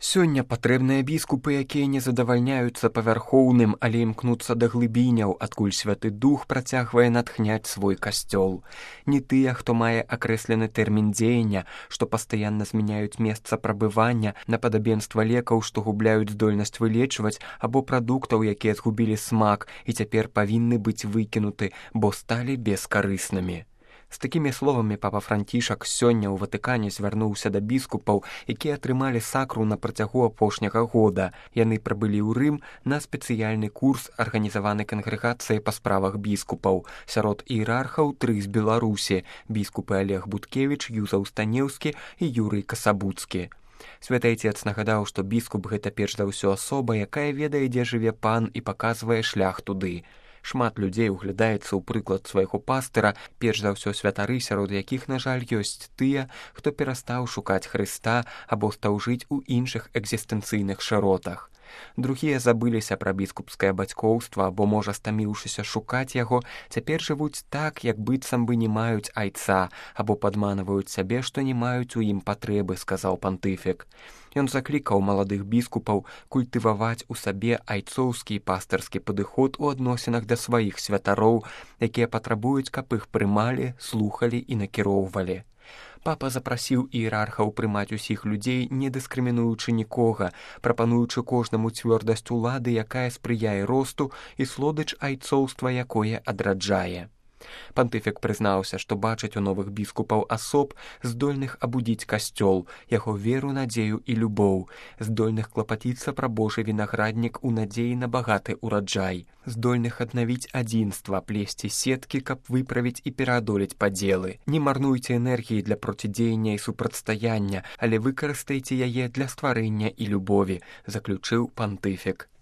Сёння патрэбныя біскупы, якія не задавальняюцца павярхоўным, але імкнуцца да глыбіняў, адкуль Святы Дух працягвае натхняць свой касцёл. Не тыя, хто мае акрэслены тэрмін дзеяння, што пастаянна змяняюць месца прабывання на падабенства лекаў, што губляюць здольнасць вылечваць, або прадуктаў, якія згубілі смак і цяпер павінны быць выкінуты, бо сталі бескарыснымі. З такімі словамі папа Францішак сёння ў Ватыкане звярнуўся да біскупаў, якія атрымалі сакру на працягу апошняга года. Яны прыбылі ў Рым на спецыяльны курс, арганізаваны кангрэгацыяй па справах біскупаў. Сярод іерархаў 3 з Беларусі: біскупы Олег Буткевіч, Юзаў Станеўскі і Юрый Касабуцкі. Святы Айцец нагадаў, што біскуп гэта перш за ўсё асоба, якая ведае, дзе жыве пан і паказвае шлях туды. Шмат людзей углядаецца ў прыклад свайго пастыра, перш за ўсё святары, сярод якіх, на жаль, ёсць тыя, хто перастаў шукаць Хрыста або стаў жыць у іншых экзістэнцыйных шыротах. Другія забыліся пра біскупскае бацькоўства або, можа, стаміўшыся шукаць яго, цяпер жывуць так, як быццам бы не маюць айца, або падманваюць сябе, што не маюць у ім патрэбы, сказаў пантыфік. Ён заклікаў маладых біскупаў культываваць у сабе айцоўскі і пастырскі падыход у адносінах да сваіх святароў, якія патрабуюць, каб іх прымалі, слухалі і накіроўвалі. Папа запрасіў іерархаў прымаць усіх людзей, не дыскрымінуючы нікога, прапануючы кожнаму цвёрдасць улады, якая спрыяе росту, і слодыч айцоўства, якое адраджае. Пантыфік прызнаўся, што бачыць у новых біскупаў асоб, здольных абудзіць касцёл, яго веру, надзею і любоў, здольных клапаціцца пра Божы вінаграднік у надзеі на багаты ўраджай, здольных аднавіць адзінства, плесці сеткі, каб выправіць і пераадолець падзелы. Не марнуйце энергіі для процідзеяння і супрацьстаяння, але выкарыстайце яе для стварэння і любові, заключыў пантыфік.